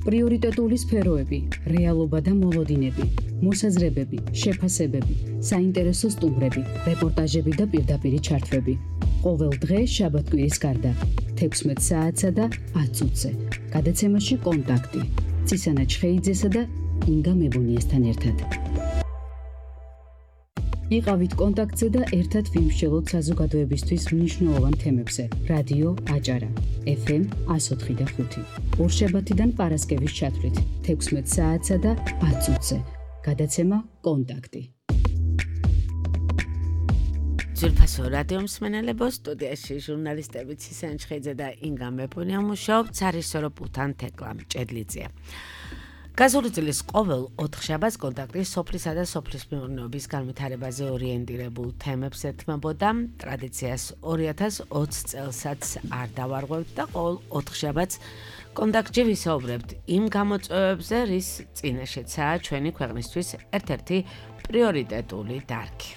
პრიორიტეტული სფეროები, რეალობა და მოლოდინები, მოსაზრებები, შეფასებები, საინტერესო სტუმრები, რეპორტაჟები და პირდაპირი ჩართვები. ყოველ დღე შაბათ-კვირის გარდა 16 საათსა და 10 წუთზე. გადაცემაში კონტაქტი. წისანა ჩხეიძესა და ინგა მებუნიესთან ერთად. იყავით კონტაქტზე და ერთად ვიმსჯელოთ საზოგადოებისთვის მნიშვნელოვან თემებზე. რადიო აჭარა, FM 104.5. ორშაბათიდან პარასკევის ჩათვლით 16 საათსა და 10 წუთზე. გადაცემა კონტაქტი. ძვირფასო რადიო მსმენელებო, სტუდიაში ჟურნალისტები წისანა ჩხეიძე და ინგა მებუნია მუშაობთ, სარისოროპულთან თეკლა მჭედლიძე. გაზული წლის ყოველ 4 შაბათს კონტაქტი სოფლისა და სოფლის მეურნეობის განვითარებაზე ორიენტირებულ თემებს ეთმობოდა. ტრადიციას 2020 წელსაც არ დავარღვევთ და ყოველ 4 შაბათს კონტაქტში ვისაუბრებთ იმ გამოწვევებზე, რის წინაშეცაა ჩვენი ქვეყნისთვის ერთ-ერთი პრიორიტეტული დარგი.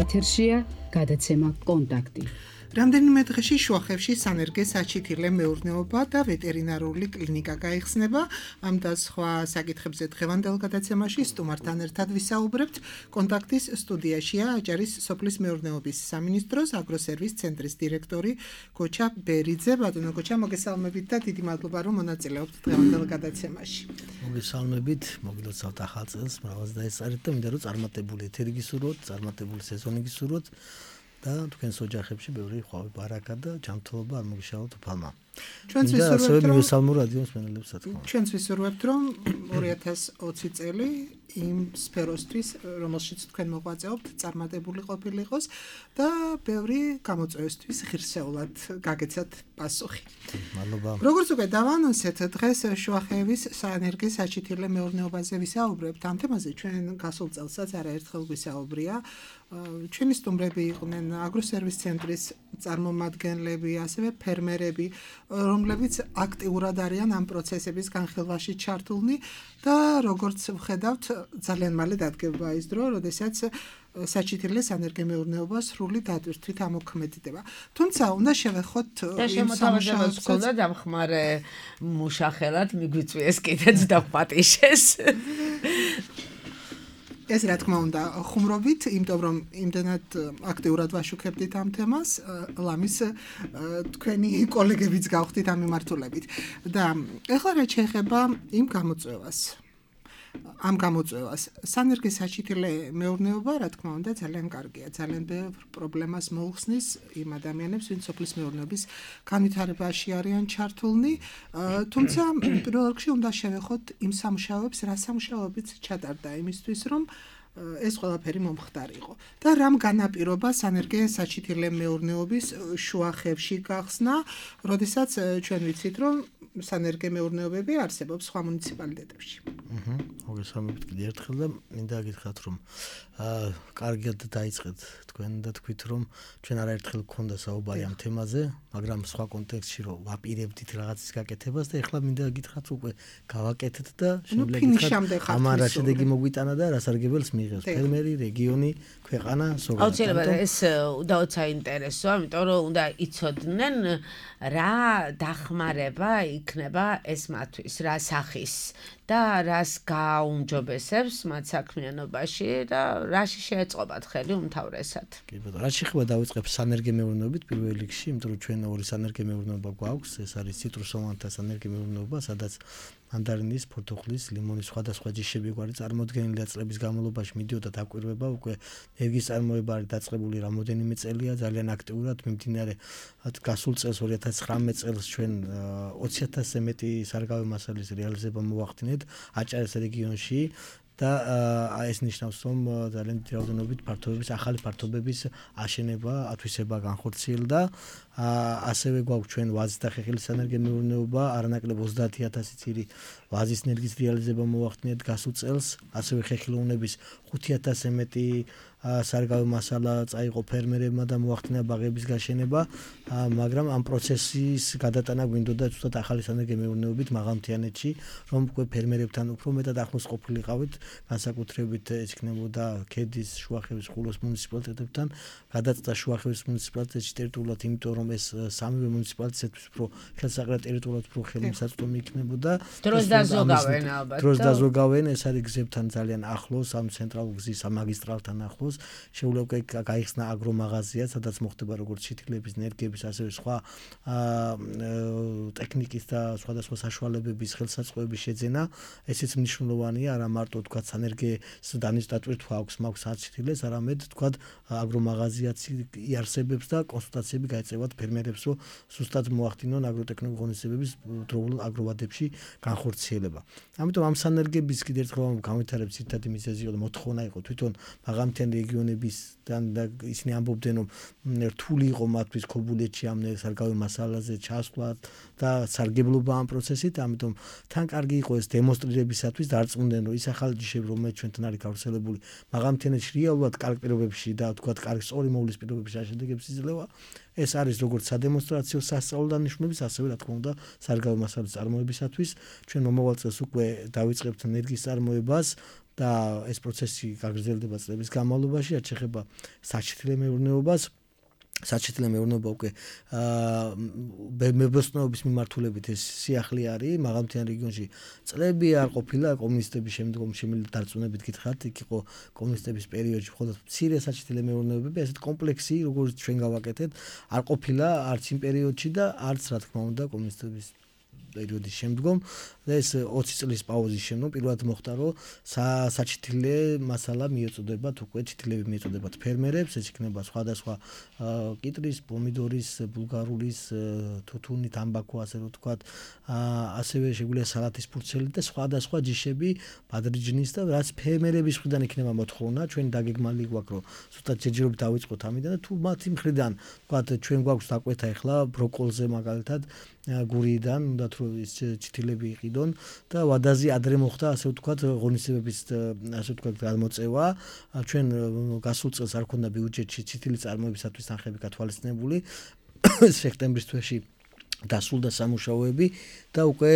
ეთერშია გადაცემა კონტაქტი. რამდენიმე დღეში შუახევში სანერგე საჩითილე მეურნეობა და ვეტერინარული კლინიკა გაიხსნება. ამ და სხვა საკითხებზე დღევანდელ გადაცემაში სტუმართან ერთად ვისაუბრებთ. კონტაქტის სტუდიაშია აჭარის სოფლის მეურნეობის სამინისტროს აგროსერვის ცენტრის დირექტორი გოჩა ბერიძე. ბატონო გოჩა, მოგესალმებით და დიდი მადლობა, რომ მონაწილეობთ დღევანდელ გადაცემაში. მოგესალმებით, მოგილოცავთ ახალ წელს, მრავალს დაეწარეთ და მინდა რომ წარმატებული ეთერი გისურვოთ, წარმატებული სეზონი გისურვოთ. და თქვენს ოჯახებში ბევრი ხვავი ბარაკა და ჯანმრთელობა არ მოგიშალოთ უფალმა. ჩვენც ვისურვებთ, რომ 2020 წელი იმ სფეროსთვის, რომელშიც თქვენ მოღვაწეობთ, წარმატებული ყოფილიყოს და ბევრი გამოწვევისთვის ღირსეულად გაგეცათ პასუხი. მადლობა. როგორც უკვე დავანონსეთ, დღეს შუახევის სანერგე საჩითილე მეურნეობაზე ვისაუბრებთ. ამ თემაზე ჩვენ გასულ წელსაც არაერთხელ ვისაუბრია. ჩვენი სტუმრები იყვნენ აგროსერვის ცენტრის წარმომადგენლები, ასევე ფერმერები, რომლებიც აქტიურად არიან ამ პროცესების განხილვაში ჩართულნი და როგორც ვხედავთ, ძალიან მალე დადგება ის დრო, როდესაც საჩითილე სანერგე მეურნეობა სრული დატვირთვით ამოქმედდება. თუმცა უნდა შევეხოთ იმ სამუშაოს გქონდა დამხმარე მუშახელად მიგვიწვიეს კიდეც დაპატიშეს. ეს რა თქმა უნდა ხუმრობით, იმიტომ რომ იმდენად აქტიურად ვაშუქებდით ამ თემას, ლამის თქვენი კოლეგებიც გავხდით ამ მიმართულებით. და ეხლა რაც შეეხება იმ გამოწვევას, სანერგე საჩითილე მეურნეობა, რა თქმა უნდა, ძალიან კარგია, ძალიან ბევრ პრობლემას მოუხსნის იმ ადამიანებს, ვინც სოფლის მეურნეობის განვითარებაში არიან ჩართულნი, თუმცა პირველ რიგში უნდა შევეხოთ იმ სამუშაოებს, რა სამუშაოებიც ჩატარდა იმისთვის, რომ ეს ყველაფერი მომხდარიყო და რამ განაპირობა სანერგე საჩითილე მეურნეობის შუახევში გახსნა, როდესაც ჩვენ ვიცით, რომ სანერგე მეურნეობები არსებობს სხვა მუნიციპალიტეტებში. მოგესალმებით კიდევ ერთხელ და მინდა გითხრათ, რომ კარგად დაიწყეთ თქვენ და თქვით, რომ ჩვენ არაერთხელ გქონდა საუბარი ამ თემაზე, მაგრამ სხვა კონტექსტში რომ ვაპირებდით რაღაცის გაკეთებას და ეხლა მინდა გითხრათ, უკვე გავაკეთეთ და შემდეგი ამარა შედეგი მოგვიტანა და რასარგებელს მიიღებს ფერმერი, რეგიონი, ქვეყანა, ზოგადად. აუცილებლად ეს უდაოდ საინტერესოა, იმიტომ რომ უნდა იცოდნენ რა დახმარება იქნება ეს მათთვის, რა სახის და რას გააუმჯობესებს მათ საქმიანობაში და რაში შეეწყობათ ხელი უმთავრესად. კი ბატონო, რაც შეეხება დავიწყებ სანერგე მეურნეობით პირველ რიგში, იმიტომ რომ ჩვენ ორი სანერგე მეურნეობა გვაქვს, ეს არის ციტრუსოვანთა სანერგე მეურნეობა, სადაც მანდარინის, ფორთოხლის, ლიმონის სხვადასხვა ჯიშები გვარი წარმოდგენილია წლების განმავლობაში მიდიოდა დაკვირვება, უკვე ენერგიის წარმოება არის დაწყებული რამოდენიმე წელია, ძალიან აქტიურად მიმდინარე გასულ წელს 2019 წელს ჩვენ 20,000-ზე მეტი სარგავი მასალის რეალიზება მოვახდინეთ აჭარის რეგიონში. და ეს ნიშნავს, რომ ძალიან დიდი რაოდენობით ფართობების, ახალი ფართობების აშენება, ათვისება განხორციელდა. ასევე გვაქვს ჩვენ ვაზის და ხეხილის სანერგე მეურნეობა, არანაკლებ 30,000 წირი ვაზის ენერგიის რეალიზება მოვახდინეთ გასულ წელს, ასევე ხეხილოვნების 5,000-ზე მეტი სარგავი მასალა წაიღო ფერმერებმა და მოახდინა ბაღების გაშენება, მაგრამ ამ პროცესის გადატანა გვინდოდა ზუსტად ახალი სანერგე მეურნეობით მაღალმთიანეთში, რომ უკვე ფერმერებთან უფრო მეტად ახლოს ყოფილიყავით, განსაკუთრებით ეს იქნებოდა ქედის, შუახევის, ხულოს მუნიციპალიტეტებთან, გადაწყვეტა შუახევის მუნიციპალიტეტში ტერიტორიულად, იმიტომ რომ რომ ეს სამივე მუნიციპალიტეტისთვის უფრო ხელსაყრელ ტერიტორიად უფრო ხელმისაწვდომი იქნებოდა. დროს დაზოგავენ ალბათ. დროს დაზოგავენ, ეს არის გზებთან ძალიან ახლოს, ამ ცენტრალურ გზის ამაგისტრალთან ახლოს. შეუძლია უკვე გაიხსნა აგრომაღაზია, სადაც მოხდება როგორც ჩითილების, ნერგების, ასევე სხვა ტექნიკის და სხვადასხვა საშუალებების ხელსაწყოების შეძენა. ესეც მნიშვნელოვანია, არა მარტო თქვა სანერგეს დანის დატვირთვა აქვს მაქვს არჩითილეს, არამედ თქვა აგრომაღაზიაც იარსებებს და კონსულტაციები გაეწევათ ფერმერებს, რომ ზუსტად მოახდინონ აგროტექნიკური ღონისძიებების დროულ აგროვადებში განხორციელება. ამიტომ ამ სანერგების კიდევ ერთხელ განვითარების ძირითადი მიზეზი იყო და მოთხოვნა იყო თვითონ მაღალმთიანი რეგიონებისგან და ისინი ამბობდნენ, რომ რთული იყო მათთვის ქობულეთში ამ სარგავი მასალაზე ჩასვლა და სარგებლობა ამ პროცესით, ამიტომ თან კარგი იყო ეს დემონსტრირებისათვის დარწმუნდნენ, რომ ის ახალი ჯიშები, რომელიც ჩვენთან არის გავრცელებული, მაღალმთიანეთში რეალურად კარგ პირობებში და თქვა კარგი სწორი მოვლის პირობებში შედეგებს იძლევა. ეს არის როგორც სადემონსტრაციო სასწავლო დანიშნულების, ასევე რა თქმა უნდა სარგავი მასალის წარმოებისათვის. ჩვენ მომავალ წელს უკვე დავიწყებთ ენერგიის წარმოებას და ეს პროცესი გაგრძელდება წლების განმავლობაში, რაც შეეხება საჩითილე მეურნეობას. საჩითილე მეურნეობა უკვე მებოსტნეობის მიმართულებით ეს სიახლე არის მაღალმთიან რეგიონში წლები არ ყოფილა კომუნისტების შემდგომში დარწმუნებით გითხრათ იქ იყო კომუნისტების პერიოდში მხოლოდ მცირე საჩითილე მეურნეობები ესეთ კომპლექსი როგორც ჩვენ გავაკეთეთ არ ყოფილა არც იმ პერიოდში და არც რა თქმა უნდა კომუნისტების პერიოდის შემდგომ და ეს 20 წლის პაუზის შემდგომ პირველად მოხდა რომ საჩითილე მასალა მიეწოდებათ უკვე ჩითილები მიეწოდებათ ფერმერებს ეს იქნება სხვადასხვა კიტრის, პომიდორის, ბულგარულის, თუთუნი, თამბაქო ასე რომ ვთქვათ ასევე შეგვიძლია სალათის ფურცელი და სხვადასხვა ჯიშები ბადრიჯნის და რაც ფერმერების მხრიდან იქნება მოთხოვნა ჩვენ დაგეგმალი გვაქვს რომ ზუსტად ჯერჯერობით დავიწყოთ ამიდან და თუ მათი მხრიდან ვთქვათ ჩვენ გვაქვს დაკვეთა ახლა ბროკოლზე მაგალითად გურიდან უნდათ რომ ის ჩითილები იყიდონ და ვადაზე ადრე მოხდა ასე ვთქვათ ღონისძიებების ასე ვთქვათ გამოწევა ჩვენ გასულ წელს არ ქონდა ბიუჯეტში ჩითილის წარმოებისათვის თანხები გათვალისწინებული სექტემბრის თვეში დასრულდა სამუშაოები და უკვე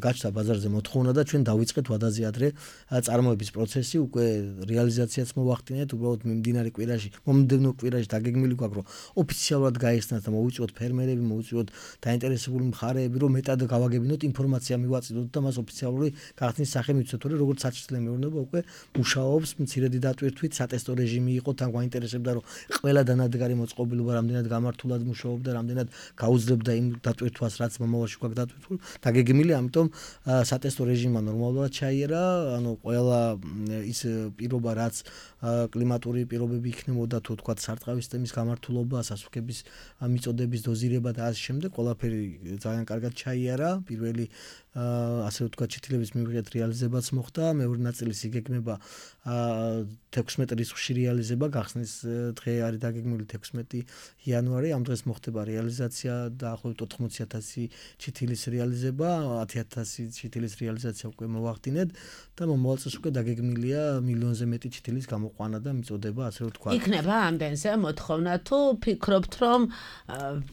გაჩნდა ბაზარზე მოთხოვნა და ჩვენ დავიწყეთ ვადაზე ადრე წარმოების პროცესი უკვე რეალიზაციაც მოვახდინეთ უბრალოდ მიმდინარე კვირაში მომდევნო კვირაში დაგეგმილი გვაქვს რომ ოფიციალურად გაიხსნათ და მოვიწვიოთ ფერმერები მოვიწვიოთ დაინტერესებული მხარეები რომ მეტად გავაგებინოთ ინფორმაცია მივაწვდოთ და მას ოფიციალური გახსნის სახე მივცეთ რომ როგორც საჩითილე მეურნეობა უკვე მუშაობს მცირედი დატვირთვით სატესტო რეჟიმი იყო თან გვაინტერესებდა რომ ყველა დანადგარი მოწყობილობა რამდენად გამართულად მუშაობდა რამდენად გაუძლებდა იმ დატვირთვას რაც მომავალში გვაქვს დატვირთული დაგეგმილი ამიტომ სატესტო რეჟიმმა ნორმალურად ჩაიერა ანუ ყველა ის პირობა რაც კლიმატური პირობები იქნებოდა თუ თქვა სარტყავის სისტემის გამართულობა სასუქების მიწოდების დოზირება და ასე შემდეგ ყველაფერი ძალიან კარგად ჩაიერა პირველი ასე ვთქვათ ჩითილების მივიღეთ რეალიზებაც მოხდა მეორე ნაწილის იგეგმება 16 რიცხვში რეალიზება გახსნის დღე არის დაგეგმილი 16 იანვარი ამ დღეს მოხდება რეალიზაცია დაახლოებით 80,000 ჩითილის რეალიზება 10,000 ჩითილის რეალიზაცია უკვე მოვახდინეთ და მომავალ წელს უკვე დაგეგმილია მილიონზე მეტი ჩითილის გამოყვანა და მიწოდება ასე ვთქვათ იქნება ამდენზე მოთხოვნა თუ ფიქრობთ რომ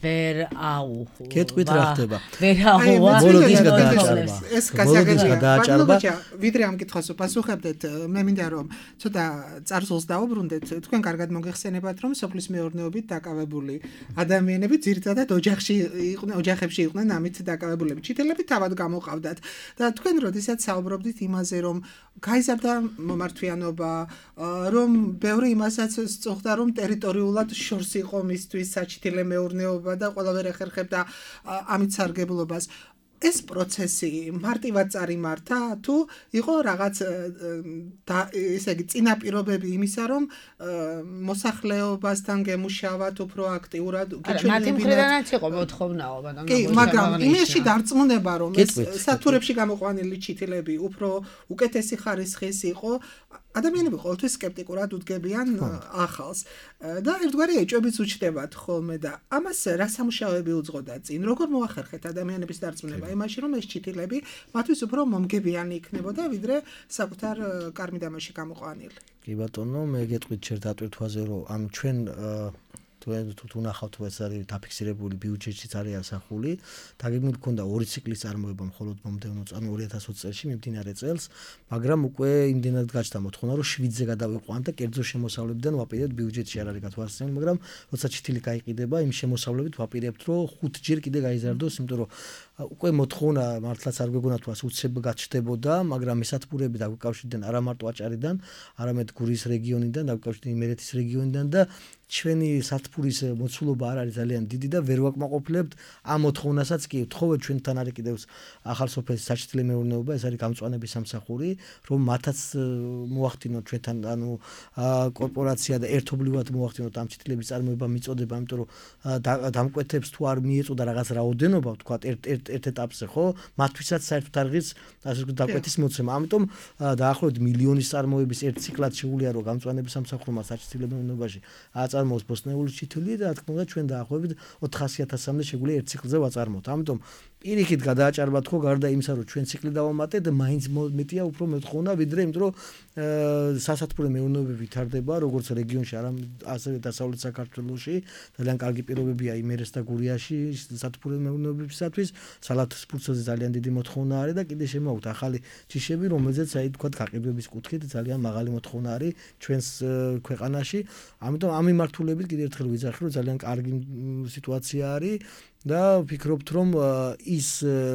ვერ აუხო გეტყვით რა ხდება ვერ აუღვა ეს გადააჭარბა ვიდრე ამ კითხვას უპასუხებდეთ მე მინდა რომ ცოტა წარსულს დავუბრუნდეთ თქვენ კარგად მოგეხსენებათ რომ სოფლის მეურნეობით დაკავებული ადამიანები ძირითადად ოჯახებში იყვნენ ამით დაკავებულები ჩითილები თავად გამოყავდათ და თქვენ როდესაც საუბრობდით იმაზე რომ გაიზარდა მომართვიანობა რომ ბევრი იმასაც სწოხდა რომ ტერიტორიულად შორს იყო მისთვის საჩითილე მეურნეობა და ყველაფერი ეხერხებდა ამით სარგებლობას ეს პროცესი მარტივად წარიმართა თუ იყო რაღაც ესე იგი წინაპირობები იმისა რომ მოსახლეობასთან გემუშავათ უფრო აქტიურად მათი მხრიდანაც იყო მოთხოვნაობა და კი მაგრამ იმაში დარწმუნება რომ ეს სათურებში გამოყვანილი ჩითილები უფრო უკეთესი ხარისხის იყო ადამიანები ყოველთვის სკეპტიკურად უდგებიან ახალს და ერთგვარი ეჭვებიც უჩნდებათ ხოლმე და ამას რა სამუშაოები უძღოდა წინ როგორ მოახერხეთ ადამიანების დარწმუნება იმაში რომ ეს ჩითილები მათთვის უფრო მომგებიანი იქნებოდა ვიდრე საკუთარ კარმიდამაში გამოყვანილი კი ბატონო მე გეტყვით შენ დატვირთვაზე რომ ამ ჩვენ თუ ნახავთ ეს არის დაფიქსირებული ბიუჯეტშიც არის ასახული დაგეგმილი ქონდა 2 ციკლის წარმოება მხოლოდ მომდევნო წამი 2020 წელს მიმდინარე წელს მაგრამ უკვე იმდენად გაჩნდა მოთხოვნა რომ 7-ზე გადავიყვანთ და კერძო შემოსავლებიდან ვაპირებთ ბიუჯეტში არ არის გათვალისწინებული მაგრამ როცა ჩითილი გაიყიდება იმ შემოსავლებით ვაპირებთ რომ 5 ჯერ კიდე გაიზარდოს იმიტომ რომ უკვე მოთხოვნა მართლაც არ გვეგონა თუ ასე უცებ გაჩნდებოდა მაგრამ მესათბურები დაგვიკავშირდნენ არა მარტო აჭარიდან არამედ გურიის რეგიონიდან დაგვიკავშირდნენ იმერეთის რეგიონიდან და ჩვენი სათბურის მოცულობა არ არის ძალიან დიდი და ვერ ვაკმაყოფილებთ ამ მოთხოვნასაც კი ვთხოვეთ ჩვენთან არის კიდევ ახალ სოფლის საჩითლე მეურნეობა ეს არის გამწვანების სამსახური რომ მათაც მოახდინოთ ჩვენთან ანუ კორპორაცია და ერთობლივად მოახდინოთ ამ ჩითლების წარმოება მიწოდება იმიტომ რომ დამკვეთებს თუ არ მიეწოდა რაღაც რაოდენობა თქვა ერთ ეტაპზე ხო მათთვისაც საერთოდ არღის ასე ვთქვათ დამკვეთის მოცემა ამიტომ დაახლოებით მილიონის წარმოების ერთ ციკლად შეუძლია რომ გამწვანების სამსახურმა საჩითლე მეურნეობაში აწარმოოს ბოსნეული ჩითილი და რა თქმა უნდა ჩვენ დაახლოებით 400.000-მდე შეგვიძლია ერთ ციკლზე ვაწარმოოთ. ამიტომ პირიქით გადააჭარბათ ხო გარდა იმისა რომ ჩვენ ციკლი დავამატეთ მაინც მეტია უფრო მეთხოვნა ვიდრე იმიტომ რომ სასათბურე მეურნეობები ვითარდება როგორც რეგიონში ასევე დასავლეთ საქართველოში ძალიან კარგი პირობებია იმერეს და გურიაში სასათბურე მეურნეობებისათვის სალათის ფურცელზე ძალიან დიდი მოთხოვნა არის და კიდე შემოაქვთ ახალი ჯიშები რომელზეც აი თქვა გაყიდვების კუთხით ძალიან მაღალი მოთხოვნა არის ჩვენს ქვეყანაში ამიტომ ამ მიმართულებით კიდე ერთხელ ვიძახი რომ ძალიან კარგი სიტუაცია არის და ვფიქრობთ რომ ის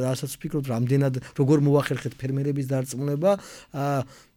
რასაც ვფიქრობთ რამდენად როგორ მოახერხეთ ფერმერების დარწმუნება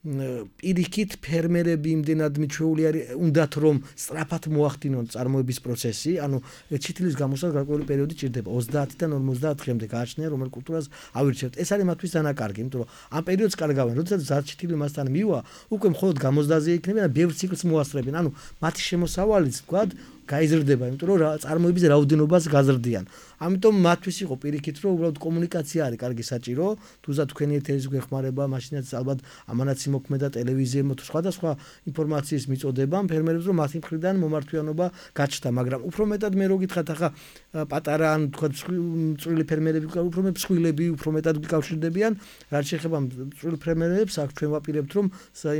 პირიქით ფერმერები იმდენად მიჩვეული არის უნდათ რომ სწრაფად მოახდინონ წარმოების პროცესი ანუ ჩითილის გამოსვლას გარკვეული პერიოდი ჭირდება 30-დან 50 დღემდე გააჩნია რომელ კულტურას ავირჩევთ ეს არის მათთვის დანაკარგი იმიტომ რომ ამ პერიოდს კარგავენ როდესაც ზარჩითილი მასთან მივა უკვე მხოლოდ გამოსდაზე იქნებიან და ბევრ ციკლს მოასწრებენ ანუ მათი შემოსავალიც თქვა გაიზრდება იმიტომ რომ წარმოების რაოდენობას გაზრდიან ამიტომ მათთვის იყო პირიქით რომ უბრალოდ კომუნიკაცია არის კარგი საჭირო თუზა თქვენი ეთერის გვეხმარება მაშინაც ალბათ ამანაც იმოქმედა ტელევიზიებმა თუ სხვადასხვა ინფორმაციის მიწოდებამ ფერმერებს რომ მათი მხრიდან მომართვიანობა გაჩნდა მაგრამ უფრო მეტად მე რო გითხრათ ახლა პატარა ან თქვა წვრილი ფერმერები უფრო მეტ მსხვილები უფრო მეტად გიკავშირდებიან რაც შეეხება წვრილ ფერმერებს აქ ჩვენ ვაპირებთ რომ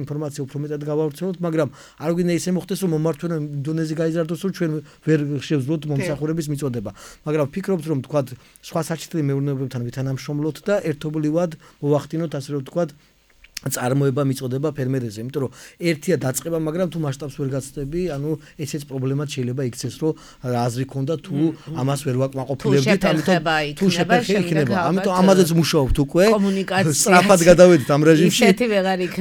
ინფორმაცია უფრო მეტად გავავრცელოთ მაგრამ არ გვინდა ისე მოხდეს რომ მომართვიანობა დონეზე გაიზარდოს რომ ჩვენ ვერ შევძლოთ მომსახურების მიწოდება მაგრამ ვფიქრობთ რომ თქვა სხვა საჩითლე მეურნეობებთან ვითანამშრომლოთ და ერთობლივად მოვახდინოთ ასე რომ თქვა წარმოება მიწოდება ფერმერებზე იმიტომ რომ ერთია დაწყება მაგრამ თუ მასშტაბს ვერ გაცდები ანუ ესეც პრობლემად შეიძლება იქცეს რომ აზრი ქონდა თუ ამას ვერ ვაკმაყოფილებდით ამიტომ თუ შეფერხება ამიტომ ამაზეც მუშაობთ უკვე სწრაფად გადავედით ამ რეჟიმში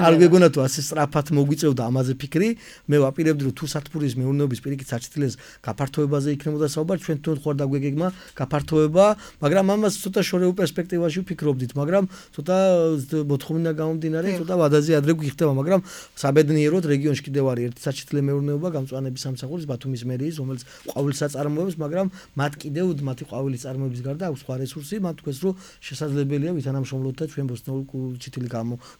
არ გეგონა თუ ასე სწრაფად მოგვიწევდა ამაზე ფიქრი მე ვაპირებდი რომ თუ სათბურის მეურნეობის პირიქით საჩითლეს გაფართოებაზე იქნებოდა საუბარი ჩვენ თვითონ ხوار დაგვეგეგმა გაფართოება მაგრამ ამას ცოტა შორეულ პერსპექტივაში ვფიქრობდით მაგრამ ცოტა მოთხოვნა გამომდინარე ცოტა ვადაზე ადრე გვიხდება, მაგრამ საბედნიეროდ რეგიონში კიდევ არის ერთი საჩითლე მეურნეობა გამწვანების სამსახურის ბათუმის მერიის, რომელიც ყვავილს აწარმოებს, მაგრამ მათ კიდევ მათი ყვავილის წარმოების გარდა აქვს სხვა რესურსი, მათ თქვეს რომ შესაძლებელია ვითანამშრომლოთ და ჩვენ ბოსნიურ ჩითილი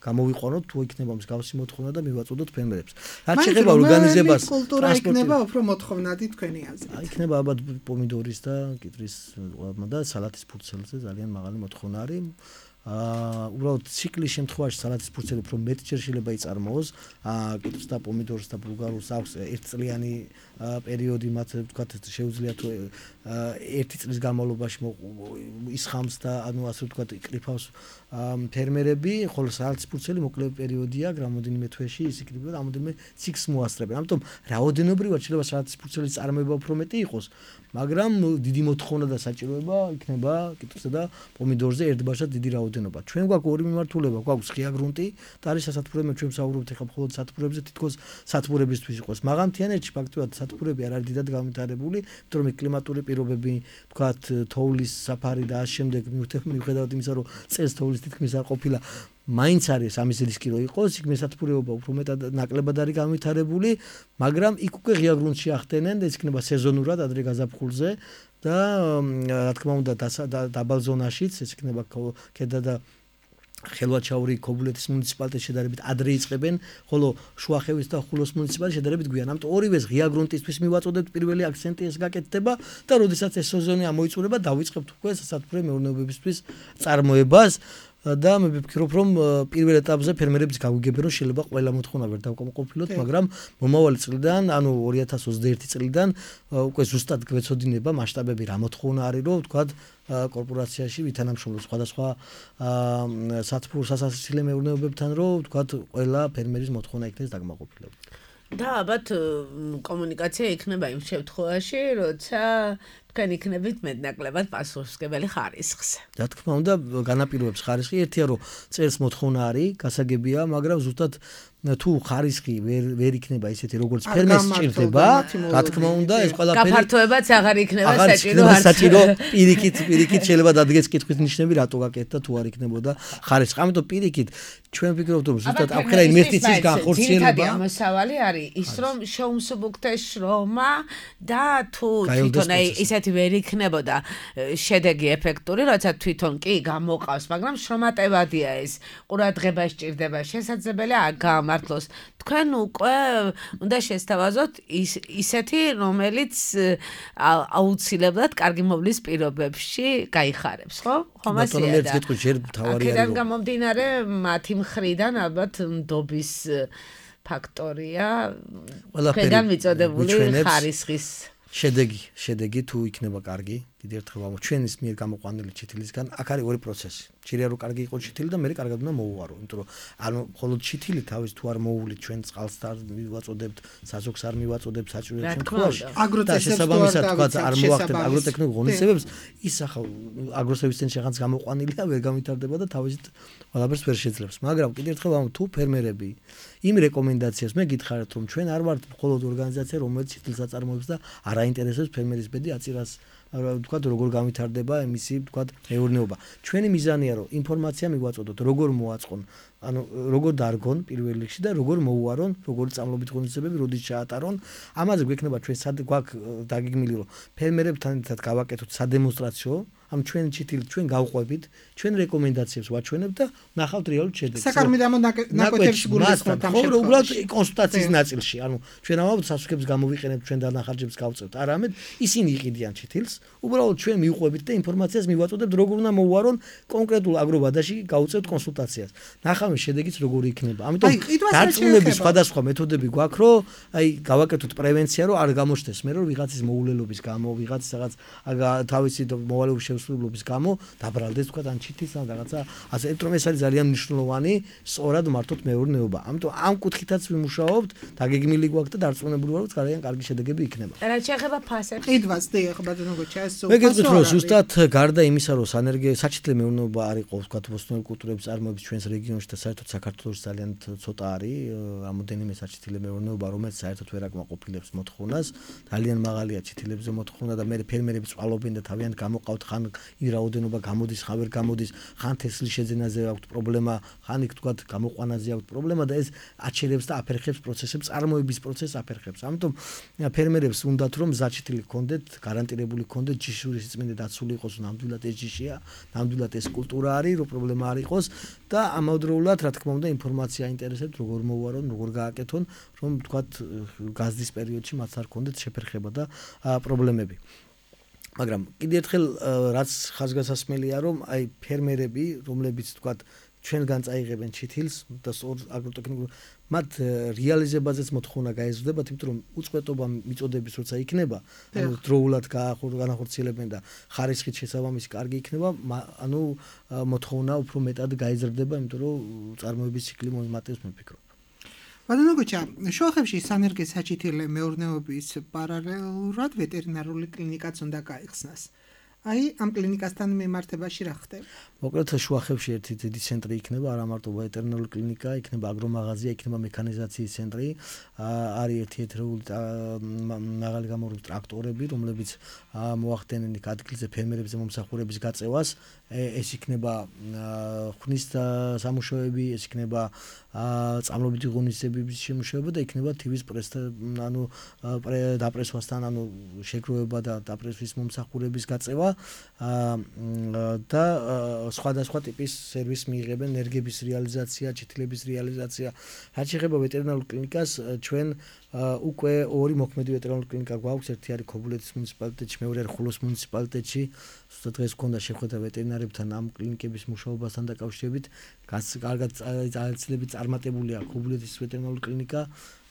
გამოვიყვანოთ, თუ იქნება მსგავსი მოთხოვნა და მივაწოდოთ ფერმერებს. რაც შეეხება ორგანიზებას, კულტურა იქნება უფრო მოთხოვნადი თქვენი აზრით. იქნება ალბათ პომიდორის და კიტრის და სალათის ფურცელზე ძალიან მაღალი მოთხოვნა არის. უბრალოდ ციკლის შემთხვევაში სალათის ფურცელი უფრო მეტ ჯერ შეიძლება იწარმოოს კიტოს და პომიდორს და ბულგარულს აქვს ერთწლიანი პერიოდი მათ ვთქვათ შეუძლია თუ ერთი წლის განმავლობაში ისხამს და ანუ ასე ვთქვათ იკრიფავს ფერმერები ხოლო სალათის ფურცელი მოკლე პერიოდია რამოდენიმე თვეში ის იკრიფება რამოდენიმე ციკლს მოასწრებენ ამიტომ რაოდენობრივად შეიძლება სალათის ფურცელის წარმოება უფრო მეტი იყოს მაგრამ დიდი მოთხოვნა და საჭიროება იქნება კიტოსა და პომიდორზე ერთბაშად დიდი რაოდენობა ჩვენ გვაქვს ორი მიმართულება გვაქვს ღია გრუნტი და არის სასათბურები ჩვენ ვსაუბრობთ ახლა მხოლოდ სათბურებზე თითქოს სათბურებისთვის იყოს მაღალმთიანეთში ფაქტობრივად სათბურები არ არის დიდად განვითარებული იმიტომ რომ კლიმატური პირობები თქვათ თოვლის საფარი და ამ შემდეგ მიუხედავად იმისა რომ წელს თოვლის თითქმის არ ყოფილა მაინც არის ამის რისკი რომ იყოს იქ მესათბურეობა უფრო მეტად ნაკლებად არის განვითარებული მაგრამ იქ უკვე ღია გრუნტში ახდენენ და ეს იქნება სეზონურად ადრე გაზაფხულზე და რა თქმა უნდა დაბალ ზონაშიც ეს იქნება ქედა და ხელვაჩაური ქობულეთის მუნიციპალიტეტში შედარებით ადრე იწყებენ, ხოლო შუახევის და ხულოს მუნიციპალიტეტში შედარებით გვიან. ამიტომ ორივეს ღია გრუნტისთვის მივაწოდებთ პირველი აქცენტი ეს გაკეთდება და როდესაც ეს სეზონი ამოიწურება, დავიწყებთ უკვე სასათბურე მეურნეობებისთვის წარმოებას. და მე ვფიქრობ, რომ პირველ ეტაპზე ფერმერების გაგვიგებენ, რომ შეიძლება ყველა მოთხოვნა ვერ დავკმაყოფილოთ, მაგრამ მომავალი წლიდან, ანუ 2021 წლიდან უკვე ზუსტად გვეცოდინება მასშტაბები რა მოთხოვნა არის, რომ ვთქვათ კორპორაციაში ვითანამშრომლობ სხვადასხვა სასაცილე მეურნეობებთან, რომ ვთქვათ ყველა ფერმერის მოთხოვნა იქნეს დაკმაყოფილებული. და ალბათ კომუნიკაცია იქნება იმ შემთხვევაში, როცა თქვენ იქნებით მეტნაკლებად პასუხისმგებელი ხარისხზე. რა თქმა უნდა, განაპირობებს ხარისხი, ერთია რომ წერს მოთხოვნა არის, გასაგებია, მაგრამ ზუსტად თუ ხარისხი ვერ იქნება ისეთი როგორც ფერმერს სჭირდება, რა თქმა უნდა, ეს ყველაფერი გაფართოებაც აღარ იქნება საჭირო პირიქით შეიძლება დადგეს კითხვის ნიშნები რატო გაკეთდა თუ არ იქნებოდა ხარისხი. ამიტომ პირიქით ჩვენ ვფიქრობთ რომ ზუსტად აფხერა ინვესტიციის განხორციელება ამოსავალი არის ის რომ შეუმსუბუქდეს შრომა და თუ თვითონ ისეთი ვერ იქნებოდა შედეგი ეფექტური, როცა თვითონ კი გამოყავს, მაგრამ შრომატევადია ეს ყურადღება სჭირდება, შესაძლებელია გამართლოს. თქვენ უკვე უნდა შესთავაზოთ ისეთი, რომელიც აუცილებლად კარგი მოვლის პირობებში გაიხარებს, ხო? ხომასია და აქედან გამომდინარე მათი მხრიდან ალბათ ნდობის ფაქტორია ყველგან მიწოდებული ხარისხის შედეგი თუ იქნება კარგი, კიდევ ერთხელ ვამბობ, ჩვენის მიერ გამოყვანილი ჩითილისგან აქ არის ორი პროცესი. შეიძლება რომ კარგი იყოს ჩითილი და მე კარგად უნდა მოუვარო, იმიტომ რომ ანუ მხოლოდ ჩითილი თავის თუ არ მოუვლით ჩვენ წყალს არ მივაწოდებთ, საზოგს არ მივაწოდებთ საჭიროებს შემთხვევაში. და შესაბამისად თქვა არ მოახდენთ აგროტექნიკურ ღონისძიებებს, ის ახლა აგროსერვისთან შეხანს გამოყვანილია, ვერ გამვითარდება და თავისით ყველაფერს ვერ შეძლებს. მაგრამ კიდევ ერთხელ ვამბობ, თუ ფერმერები იმ რეკომენდაციას მე გითხარით რომ ჩვენ არ ვართ მხოლოდ ორგანიზაცია, რომელიც ჩითილს აწარმოებს და არ აინტერესებს ფერმერის ბედი აწირას ვთქვათ როგორ გამვითარდება მისი ვთქვათ მეურნეობა. ჩვენი მიზანია რომ ინფორმაცია მიგვაწოდოთ, როგორ მოაწყონ, ანუ როგორ დარგონ პირველ რიგში და როგორ მოუარონ, როგორ წამლობით ღონისძიებები, როდის ჩაატარონ. ამაზე გვექნება ჩვენ გვაქვს დაგეგმილი რომ ფერმერებთან ერთად გავაკეთოთ სადემონსტრაციო ამ ჩვენი ჩითილი ჩვენ გავყვებით, ჩვენ რეკომენდაციებს ვაჩვენებთ და ნახავთ რეალურ შედეგს. საკარმიდამო ნაკვეთებს გულისხმობთ ამ შემთხვევაში. უბრალოდ კონსულტაციის ნაწილში, ანუ ჩვენ ამავდროულად სასუქებს გამოვიყენებთ, ჩვენ დანახარჯებს გავწევთ. არამედ ისინი იყიდიან ჩითილს, უბრალოდ ჩვენ მივყვებით და ინფორმაციას მივაწოდებთ, როგორ უნდა მოუარონ კონკრეტულ აგრობადაში გავწევთ კონსულტაციას. ნახავთ შედეგიც როგორი იქნება. ამიტომ დარწმუნების სხვადასხვა მეთოდები გვაქვს, რომ აი გავაკეთოთ პრევენცია, რომ არ გამოჩნდეს მე რომ ვიღაცის მოულელობის გამო, ვიღაცის რაღაც თავისი მოვალეობის შესრულობის გამო დაბრალდეს თქვა ან ჩითის ან რაღაცა ასე რომ ეს არის ძალიან მნიშვნელოვანი სწორად მართოთ მეურნეობა. ამიტომ ამ კუთხითაც ვიმუშაობთ, დაგეგმილი გვაქვს და დარწმუნებული ვარ, რომ ძალიან კარგი შედეგები იქნება. რაც შეეხება ფასებს. ყიდვას დიახ, ბატონო გოჩა, ეს მე გეტყვით რომ ზუსტად გარდა იმისა, რომ საჩითლე მეურნეობა არ იყო თქვა ბოსტნეულ კულტურების წარმოების ჩვენს რეგიონში და საერთოდ საქართველოში ძალიან ცოტა არის რამოდენიმე საჩითლე მეურნეობა, რომელიც საერთოდ ვერ აკმაყოფილებს მოთხოვნას. ძალიან მაღალია ჩითილებზე მოთხოვნა და მე ფერმერები წვალობენ და თავიანთ გამოყავთ ხან იმ რაოდენობა გამოდის, ხან ვერ გამოდის, ხან თესლის შეძენაზე აქვს პრობლემა, ხან იქ თქვა გამოყვანაზე აქვს პრობლემა და ეს აჩერებს და აფერხებს პროცესებს, წარმოების პროცესს აფერხებს. ამიტომ ფერმერებს უნდათ რომ ზაჩითილი ჰქონდეთ, გარანტირებული ჰქონდეთ, ჯიშური სიწმინდე დაცული იყოს, ნამდვილად ეს ჯიშია, ნამდვილად ეს კულტურა არის, რომ პრობლემა არ იყოს და ამავდროულად რა თქმა უნდა ინფორმაცია აინტერესებთ, როგორ მოუარონ, როგორ გააკეთონ, რომ თქვა გაზდის პერიოდში მათ არ ჰქონდეთ შეფერხება და პრობლემები. მაგრამ კიდევ ერთხელ რაც ხაზგასასმელია რომ აი ფერმერები რომლებიც თქვათ ჩვენგან წაიღებენ ჩითილს და აგროტექნიკურ მათ რეალიზებაზეც მოთხოვნა გაეზრდებათ, იმიტომ რომ უწყვეტობა მიწოდების როცა იქნება, ანუ დროულად განახორციელებენ და ხარისხით შესაბამისი კარგი იქნება, ანუ მოთხოვნა უფრო მეტად გაეზრდება, იმიტომ რომ წარმოების ციკლი მომატებს მე ვფიქრობ. ბატონო გოჩა, შუახევში სანერგე საჩითილე მეურნეობის პარალელურად ვეტერინარული კლინიკაც უნდა გაიხსნას. აი, ამ კლინიკასთან მიმართებაში რა ხდება? მოკლედ შუახევში ერთი დიდი ცენტრი იქნება, არა მარტო ვეტერინარული კლინიკა, იქნება აგრომაღაზია, იქნება მექანიზაციის ცენტრი, არის ერთი ეთერეული მაღალი გამოვლენილი ტრაქტორები, რომლებიც მოახდენენ ადგილზე ფერმერებზე მომსახურების გაწევას. ეს იქნება ხვნის სამუშაოები, ეს იქნება წამლობითი ღონისძიებების შემუშავება და იქნება თივის პრესთან, ანუ დაპრესვასთან, ანუ შეგროვება და დაპრესვის მომსახურების გაწევა. და სხვადასხვა ტიპის სერვისს მიიღებენ, ენერგიების რეალიზაცია, ჩითილების რეალიზაცია. რაც შეეხება ვეტერინარულ კლინიკას, ჩვენ უკვე ორი მოქმედი ვეტერინარული კლინიკა გვაქვს, ერთი არის ქობულეთის მუნიციპალიტეტში, მეორე არის ხულოს მუნიციპალიტეტში. ზუსტად დღეს გქონდა შეხვედრა ვეტერინარებთან ამ კლინიკების მუშაობასთან დაკავშირებით. კარგად ძალებით წარმატებულია ქობულეთის ვეტერინარული კლინიკა.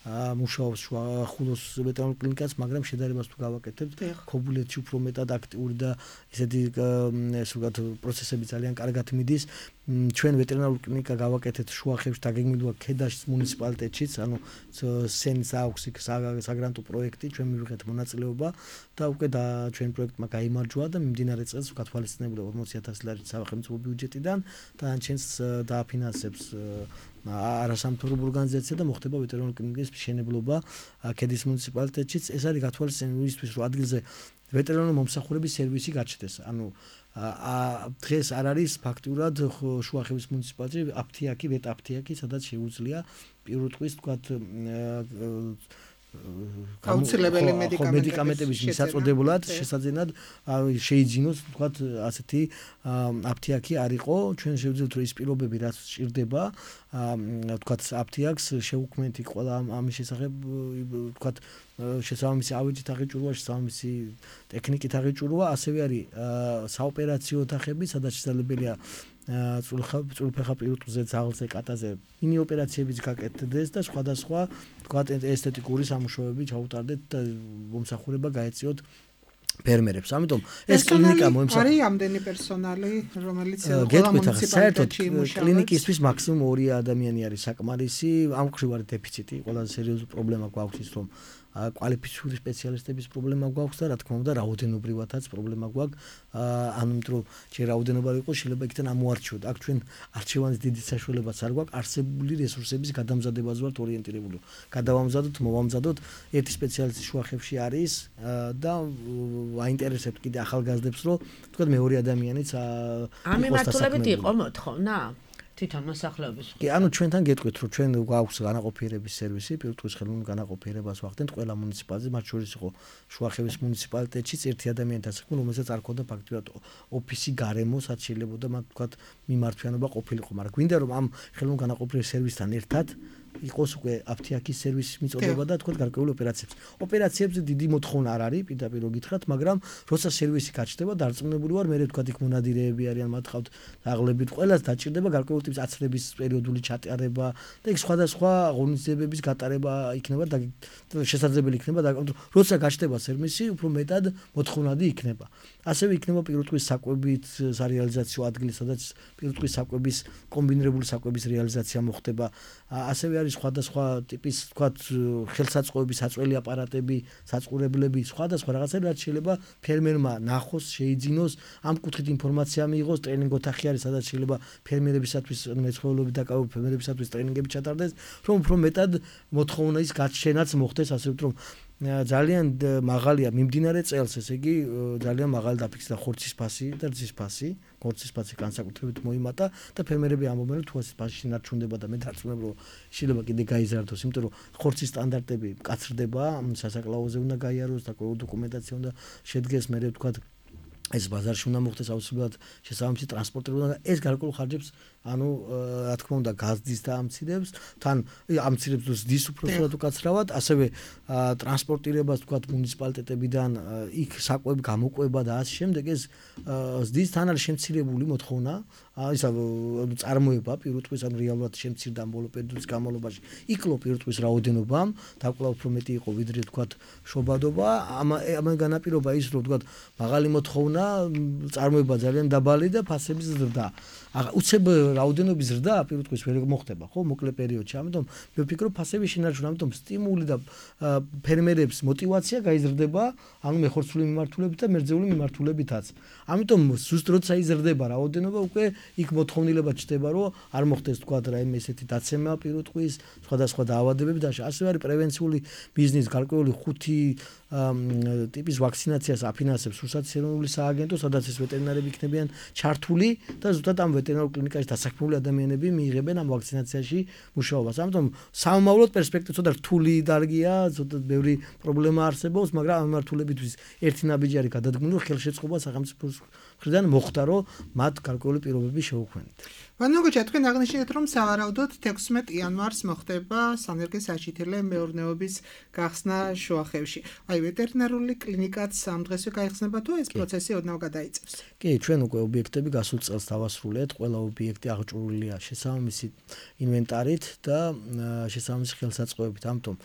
მუშაობს ხულოს ვეტერინარულ კლინიკას, მაგრამ შედარებას თუ გავაკეთებთ, ქობულეთში უფრო მეტად აქტიური და ესეთი პროცესები ძალიან კარგად მიდის. ჩვენ ვეტერინარული კლინიკა გავაკეთეთ შუახევში, დაგეგმილია ქედაშის მუნიციპალიტეტშიც, ანუ სენის აქვს იქ საგრანტო პროექტი, ჩვენ მივიღეთ მონაწილეობა და უკვე ჩვენ პროექტმა გაიმარჯვა და მიმდინარე წელს გათვალისწინებულა 40,000 ლარი სახელმწიფო ბიუჯეტიდან და ჩვენს დააფინანსებს არასამთავრობო ორგანიზაცია და მოხდება ვეტერინარული კლინიკის მშენებლობა ქედის მუნიციპალიტეტშიც. ეს არის გათვალისწინებული იმისთვის, რომ ადგილზე ვეტერინარული მომსახურების სერვისი გაჩნდეს. ანუ დღეს არ არის ფაქტურად შუახევის მუნიციპალიტეტში აფთიაქი, ვეტაფთიაქი, სადაც შეუძლია პირველ რიგში თქვათ გაუცილებელი მედიკამენტების მისაწოდებლად შესაძენად შეიძინოს თქვათ ასეთი აფთიაქი არ იყო. ჩვენ შევძლებთ რომ ის პირობები რაც სჭირდება თქვათ აფთიაქს შეუქმნით ყველა ამის შესახებ თქვათ შესაბამისი ავეჯით აღიჭურვა, შესაბამისი ტექნიკით აღიჭურვა, ასევე არის საოპერაციო ოთახები, სადაც შესაძლებელია წულფეხა პირუტყვზე, ძაღლზე, კატაზე მინი ოპერაციებიც გაკეთდეს და სხვადასხვა თქვათ ესთეტიკური სამუშაოები ჩაუტარდეთ და მომსახურება გაეწიოთ ფერმერებს. ამიტომ ეს კლინიკა არის ამდენი პერსონალი, რომელიც ყველა მუნიციპალიტეტში იმუშავებს. კლინიკისთვის მაქსიმუმ 2 ადამიანი არის საკმარისი. ამ ხრივ არის დეფიციტი, ყველაზე სერიოზული პრობლემა გვაქვს ის, რომ კვალიფიციური სპეციალისტების პრობლემა გვაქვს და რა თქმა უნდა რაოდენობრივადაც პრობლემა გვაქვს. ანუ რომ ჯერ რაოდენობა იყოს, შეიძლება იქიდან ამოარჩიოთ. აქ ჩვენ არჩევანის დიდი საშუალებაც არ გვაქვს, არსებული რესურსების გადამზადებაზე ვართ ორიენტირებული. გადავამზადოთ, მოვამზადოთ, ერთი სპეციალისტი შუახევში არის და აინტერესებთ კიდე ახალგაზრდებს, რომ თქვათ მეორე ადამიანიც ამ მიმართულებით იყო მოთხოვნა? თვითონ მოსახლეობის. კი, ანუ ჩვენთან გეტყვით, რომ ჩვენ გვაქვს განაყოფიერების სერვისი, პირუტყვის ხელოვნურ განაყოფიერებას ვახდენთ ყველა მუნიციპალიტეტში, მათ შორის იყო შუახევის მუნიციპალიტეტშიც ერთი ადამიანთან საქმე, რომელსაც არ ქონდა ფაქტურად ოფისი გარემო, რაც შეიძლება და მათ თქვათ მიმართვიანობა ყოფილიყო, მაგრამ გვინდა რომ ამ ხელოვნურ განაყოფიერების სერვისთან ერთად იყოს უკვე აფთიაქის სერვისის მიწოდება და თქვათ გარკვეული ოპერაციებს. ოპერაციებზე დიდი მოთხოვნა არ არის, პირდაპირ გითხრათ, მაგრამ როცა სერვისი გაჩნდება, დარწმუნებული ვარ, მე თქვათ იქ მონადირეები არიან, მათ ხავთ დაღლებით, ყველას დაჭირდება გარკვეული ტიპის აცრების პერიოდული ჩატარება და იქ სხვადასხვა ღონისძიებების გატარება იქნება და შესაძლებელი იქნება და როცა გაჩნდება სერვისი, უფრო მეტად მოთხოვნადი იქნება. ასევე იქნება პირუტყვის საკვებით სარეალიზაციო ადგილი, სადაც პირუტყვის საკვების კომბინირებული საკვების რეალიზაცია მოხდება. ასევე არის სხვადასხვა ტიპის, თქვათ, ხელსაწყოების საწველი აპარატები, საწყურებლები, სხვადასხვა რაღაცები, რაც შეიძლება ფერმერმა ნახოს, შეიძინოს, ამ კუთხით ინფორმაცია მიიღოს, ტრენინგ ოთახი არის, სადაც შეიძლება ფერმერებისათვის, მეცხოველეობით დაკავებულ ფერმერებისათვის ტრენინგები ჩატარდეს, რომ უფრო მეტად მოთხოვნის გაჩენაც მოხდეს, ასე რომ ძალიან მაღალია მიმდინარე წელს, ესე იგი ძალიან მაღალი დაფიქსირდა ხორცის ფასი და რძის ფასი, ხორცის ფასი განსაკუთრებით მოიმატა და ფერმერები ამბობენ, რომ თუ ეს ფასი შინარჩუნდება და მე დარწმუნებული რომ შეიძლება კიდე გაიზარდოს, იმიტომ რომ ხორცის სტანდარტები მკაცრდება, სასაკლაოზე უნდა გაიაროს და დოკუმენტაცია უნდა შედგეს, მე ვთქვათ ეს ბაზარში უნდა მოხდეს აუცილებლად შესაბამისი ტრანსპორტი უნდა ეს გარკვეულ ხარჯებს ანუ რა თქმა უნდა გაზდის და ამცირებს თან ამცირებს ზრდის უпроსტად უკაცრავად ასევე ტრანსპორტირებას თქვათ მუნიციპალიტეტებიდან იქ საკვები გამოყვება და ასე შემდეგ ეს ზრდის თან არის შემცირებული მოთხოვნა ისა წარმოება პირუტყვის ან რეალურად შემცირდა ბოლო პერიოდის განმავლობაში იკლო პირუტყვის რაოდენობამ და კვლავ უფრო მეტი იყო ვიდრე თქვათ შობადობა ამ განაპირობა ის რომ თქვათ მაღალი მოთხოვნა წარმოება ძალიან დაბალი და ფასების ზრდა უცებ რაოდენობის ზრდა პირუტყვის ვერ მოხდება ხო მოკლე პერიოდში ამიტომ მე ვფიქრობ ფასების შინარჩუნა ამიტომ სტიმული და ფერმერებს мотиваცია გაიზრდება ანუ მეხორცული მიმართულებით და მერძეული მიმართულებითაც ამიტომ ზუსტ როცა იზრდება რაოდენობა უკვე იქ მოთხოვნილება ჩდება რომ არ მოხდეს თქვა რაიმე ესეთი დაცემა პირუტყვის სხვადასხვა დაავადებები და ასევე არის პრევენციული ბიზნეს გარკვეული 5 ტიპის ვაქცინაციას აფინანსებს რუსეთის ეროვნული სააგენტო, სადაც ეს ვეტერინარები იქნებიან ჩართული და ზუსტად ამ ვეტერინარულ კლინიკაში დასაქმებული ადამიანები მიიღებენ ამ ვაქცინაციაში მუშაობას. ამიტომ სამომავლოდ პერსპექტივა ცოტა რთული დარგია, ცოტა ბევრი პრობლემა არსებობს, მაგრამ ამ მართულებისთვის ერთი ნაბიჯი გადადგმული ხელშეწყობა სახელმწიფოს მხრიდან მოხდა, რომ მათ გარკვეული პირობები შეუქმნით. ვანოგოჩა, თქვენ აღნიშნეთ, რომ სავარაუდოდ 16 იანვარს მოხდება სანერგე-საჩითილე მეურნეობის გახსნა შუახევში. აი, ვეტერინარული კლინიკაც ამ დღესვე გაიხსნება თუ ეს პროცესი ოდნავ გადაიწევს? კი, ჩვენ უკვე ობიექტები გასულ წელს დავასრულეთ, ყველა ობიექტი აღჭურვილია შესაბამისი ინვენტარით და შესაბამისი ხელსაწყოებით, ამიტომ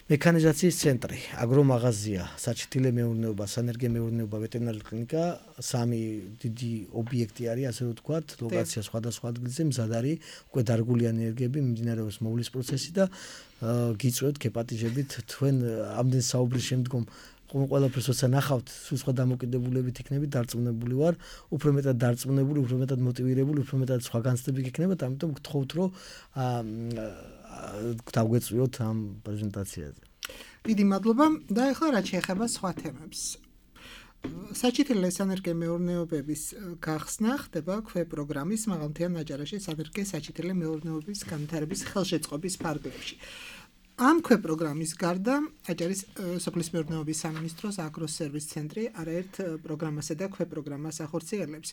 მექანიზაციის ცენტრი, აგრომაღაზია, საჩითილე მეურნეობა, სანერგე მეურნეობა, ვეტერინარული კლინიკა, სამი დიდი ობიექტი არის, ასე ვთქვათ, ლოკაცია სხვადასხვა ადგილზე, მზად არის, უკვე დარგული ენერგიები, მიმდინარეობს მოვლის პროცესი და გიწვევთ გეპატიჟებით თქვენ ამდენ საუბრის შემდგომ ყველაფერს როცა ნახავთ, სულ სხვა დამოკიდებულებით იქნებით, დარწმუნებული ვარ, უფრო მეტად დარწმუნებული, უფრო მეტად მოტივირებული, უფრო მეტად სხვა განცდები გექნებათ, ამიტომ გთხოვთ, რომ დავგვეწვიოთ ამ პრეზენტაციაზე. დიდი მადლობა და ახლა რაც შეეხება სხვა თემებს. საჩითილე სანერგე მეურნეობების გახსნა ხდება ქვეპროგრამის მაღალმთიან აჭარაში სანერგე საჩითილე მეურნეობის განვითარების ხელშეწყობის ფარგლებში. ამ ქვეპროგრამის გარდა აჭარის სოფლის მეურნეობის სამინისტროს აგროსერვის ცენტრი არაერთ პროგრამასა და ქვეპროგრამას ახორციელებს.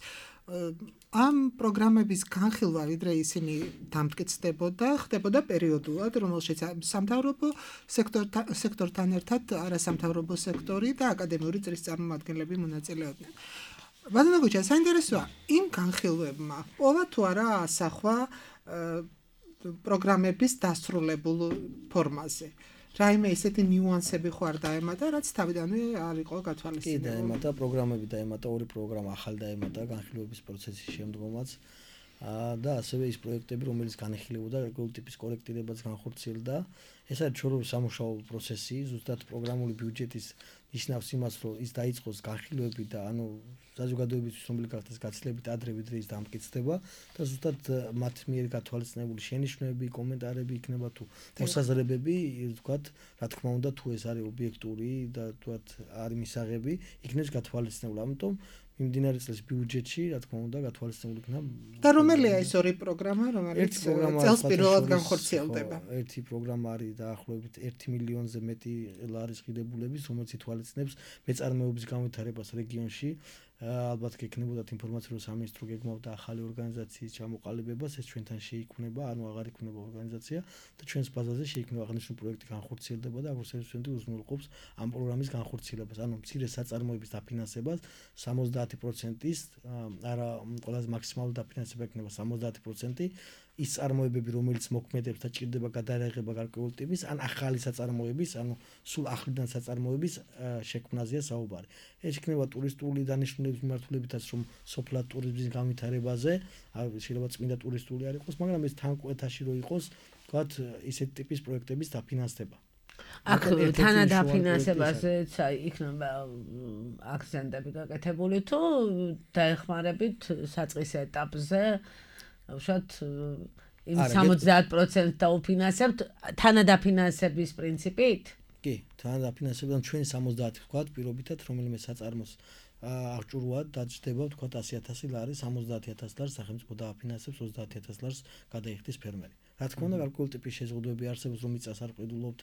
ამ პროგრამების განხილვა ვიდრე ისინი დამტკიცდებოდა, ხდებოდა პერიოდულად, რომელშიც სამთავრობო სექტორთან ერთად არასამთავრობო სექტორი და აკადემიური წრის წარმომადგენლები მონაწილეობდნენ. ვადანოგოჩა, საინტერესოა, იმ განხილვებმა პოვა თუ არა ასახვა პროგრამების დასრულებულ ფორმაზე. რაიმე ისეთი ნიუანსები ხო არ დაემატა, რაც თავიდანვე არ იყო გათვალისწინებული. კი, დაემატა პროგრამები, დაემატა ორი პროგრამა ახალ დაემატა განხილვების პროცესის შემდგომაც. და ასევე ის პროექტები, რომელიც განიხილებოდა რეგულარული ტიპის კორექტირებას განხორციელდა. ეს არის ჩვეულებრივი სამუშაო პროცესი, ზუსტად პროგრამული ბიუჯეტის ნიშნავს იმას, რომ ის დაიწყოს განხილვები და საზოგადოების ცნობილი გახდეს გაცილებით ადრე ვიდრე ის დამტკიცდება და ზუსტად მათ მიერ გათვალისწინებული შენიშვნები, კომენტარები იქნება თუ მოსაზრებები, ვთქვათ, რა თქმა უნდა, თუ ეს არის ობიექტური და ვთქვათ, არის მისაღები, იქნებს გათვალისწინებული. ამიტომ მიმდინარე წლის ბიუჯეტში, რა თქმა უნდა, გათვალისწინებული იქნება. და რომელია ეს ორი პროგრამა, რომელიც წელს პირველად განხორციელდება? ერთი პროგრამა არის დაახლოებით 1 მილიონზე მეტი ლარის ღირებულების, რომელიც ითვალისწინებს მეწარმეობის განვითარებას რეგიონში. ალბათ გექნებოდათ ინფორმაცია, რომ სამინისტრო გეგმავდა ახალი ორგანიზაციის ჩამოყალიბებას, ეს ჩვენთან შეიქმნება, აღარ იქნება ორგანიზაცია და ჩვენს ბაზაზე შეიქმნება აღნიშნული პროექტი განხორციელდება და აგროსერვის ცენტრი უზრუნველყოფს ამ პროგრამის განხორციელებას. მცირე საწარმოების დაფინანსებას 70%-ის, არა ყველაზე მაქსიმალური დაფინანსება იქნება 70%. ის წარმოებები, რომელიც მოქმედებს და ჭირდება გადაარღვევა გარკვეული ტიპის, ან ახალი საწარმოების, სულ ახლიდან საწარმოების შექმნაზეა საუბარი. ეს იქნება ტურისტული დანიშნულების მიმართულებითაც, რომ სოფლად ტურიზმის განვითარებაზე, შეიძლება წმინდა ტურისტული არ იყოს, მაგრამ ეს თან კვეთაში რო იყოს, თქვათ, ისეთი ტიპის პროექტების დაფინანსება. აქ თანადაფინანსებაზეც იქნება აქცენტები გაკეთებული თუ დაეხმარებით საწყის ეტაპზე უშოთ იმ 70% დაუფინანსებთ თანადაფინანსების პრინციპით? კი, თანადაფინანსებიდან ჩვენ 70 ვთქვათ, პირობითად რომელიმე საწარმოს აღჭურვად დაჭდება ვთქვათ 100,000 ლარი, 70,000 ლარს სახელმწიფო დააფინანსებს, 30,000 ლარს გადაიხდის ფერმერი. რა თქმა უნდა, გარკვეული ტიპის შეზღუდვები არსებობს, რომ მიწას არ ყიდულობთ,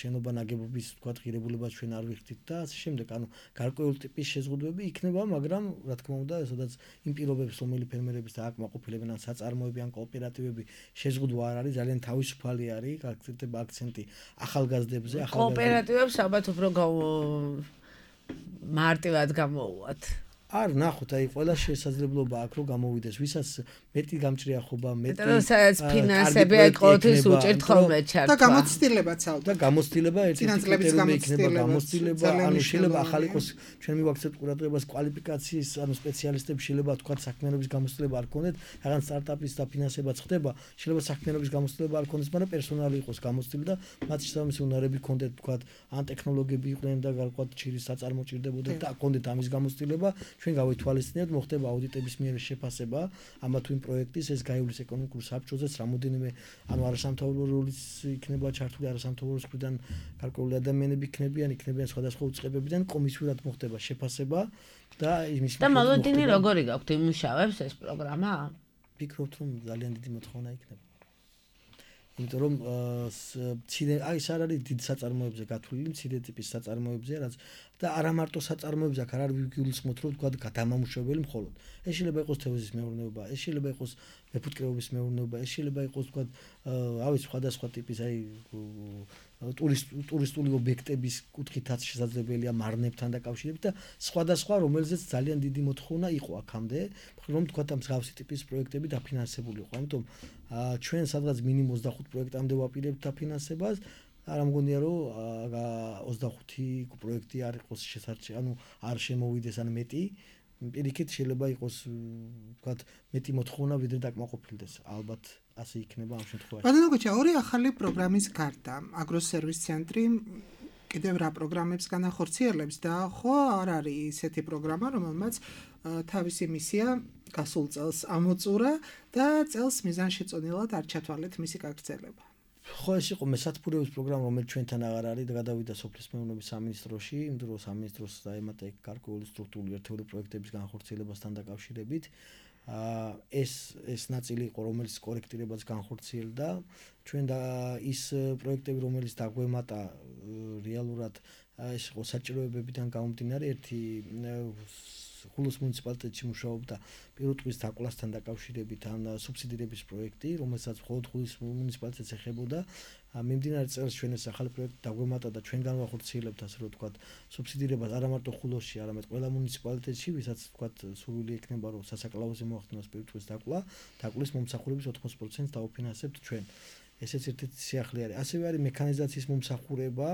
შენობა ნაგებობის ვთქვათ ღირებულებას ჩვენ არ ვიხდით და ასე შემდეგ, გარკვეული ტიპის შეზღუდვები იქნება, მაგრამ რა თქმა უნდა, სადაც იმ პირობებს, რომელი ფერმერების და აკმაყოფილებენ ან საწარმოები ან კოოპერატივები შეზღუდვა არ არის, ძალიან თავისუფალი არის, გაქცევდება აქცენტი ახალგაზრდებზე, კოოპერატივებს ალბათ უფრო მარტივად გამოუვათ. არ ნახოთ, ყველა შესაძლებლობა აქვს, რომ გამოვიდეს, ვისაც მეტი გამჭრია ხობა, მეტი ფინანსები ეკოთის უჭერთ ხოლმე ჩართვა. და გამოცდილებაც ალბათ. და გამოცდილება ერთი კრიტერიუმი იქნება გამოცდილება, შეიძლება ახალი იყოს ჩვენ მივაქცევთ ყურადღებას კვალიფიკაციის, სპეციალისტები შეიძლება თქვათ საქმიანობის გამოცდილება არ ქონდეთ, რაღაც სტარტაპის დაფინანსებაც ხდება, შეიძლება საქმიანობის გამოცდილება არ ქონდეს, მაგრამ პერსონალი იყოს გამოცდილი და მათ შესაბამისი უნარები ქონდეთ თქვათ, ან ტექნოლოგიები იყვნენ და გარკვეულ ჩირის საწარმო ჭირდებოდათ და ქონდეთ ამის გამოცდილება. ჩვენ გავითვალისწინებთ, მოხდება აუდიტების მიერ შეფასება ამა თუ იმ პროექტის, ეს გაივლის ეკონომიკურ საბჭოზე, რამოდენიმე არასამთავრობოების იქნება ჩართული, არასამთავრობოს მხრიდან გარკვეული ადამიანები იქნებიან სხვადასხვა უწყებებიდან, კომისიურად მოხდება შეფასება და იმის და მოლოდინი როგორი გაქვთ იმუშავებს ეს პროგრამა? ვფიქრობთ, რომ ძალიან დიდი მოთხოვნა იქნება. იმიტომ რომ ეს არ არის დიდ საწარმოებზე გათვლილი, მცირე ტიპის საწარმოებზეა, რაც და არა მარტო საწარმოებზე აქ არ არის ვიგულისხმოთ, რომ თქვა გადამამუშავებელი მხოლოდ. ეს შეიძლება იყოს თევზის მეურნეობა, ეს შეიძლება იყოს მეფუტკრეობის მეურნეობა, ეს შეიძლება იყოს თქვა სხვადასხვა ტიპის ტურისტული ობიექტების კუთხითაც შესაძლებელია მარნებთან დაკავშირებით და სხვადასხვა, რომელზეც ძალიან დიდი მოთხოვნა იყო აქამდე, რომ თქვა ამ მსგავსი ტიპის პროექტები დაფინანსებული იყო. ამიტომ ჩვენ სადღაც მინიმუმ 25 პროექტამდე ვაპირებთ დაფინანსებას. არ ამგონია რომ 25 პროექტი არ იყოს შესაძლებელი, არ შემოვიდეს ან მეტი. პირიქით შეიძლება იყოს ვთქვათ მეტი მოთხოვნა ვიდრე დაკმაყოფილდეს. ალბათ ასე იქნება ამ შემთხვევაში. ბატონო გოჩა, ორი ახალი პროგრამის გარდა აგროსერვის ცენტრი კიდევ რა პროგრამებს განახორციელებს და ხო არ არის ისეთი პროგრამა, რომელმაც თავისი მისია გასულ წელს ამოწურა და წელს მიზანშეწონილად არ ჩათვალეთ მისი გაგრძელება. ხო, ეს იყო მესათბურების პროგრამა, რომელიც ჩვენთან აღარ არის და გადავიდა სოფლის მეურნეობის სამინისტროში, იმ დროს სამინისტროს დაემატა გარკვეული სტრუქტურული ერთეული პროექტების განხორციელებასთან დაკავშირებით. ეს ნაწილი იყო, რომელიც კორექტირებას განხორციელდა. ჩვენ და ის პროექტები, რომელიც დაგვემატა რეალურად ეს იყო საჭიროებებიდან გამომდინარე, ერთი ხულოს მუნიციპალიტეტში მუშაობდა პირუტყვის დაკვლასთან დაკავშირებით ან სუბსიდირების პროექტი, რომელსაც მხოლოდ ხულის მუნიციპალიტეტს ეხებოდა. მიმდინარე წელს ჩვენ ეს ახალი პროექტი დაგვემატა და ჩვენ განვახორციელებთ, ასე რომ ვთქვათ, სუბსიდირებას არა მარტო ხულოსში, არამედ ყველა მუნიციპალიტეტში, ვისაც ვთქვათ, სურვილი ექნება, რომ სასაკლაოზე მოახდინოს პირუტყვის დაკვლის მომსახურების 80%-ს დაუფინანსებთ ჩვენ. ესეც ერთ-ერთი სიახლე არის. ასევე არის მექანიზაციის მომსახურება,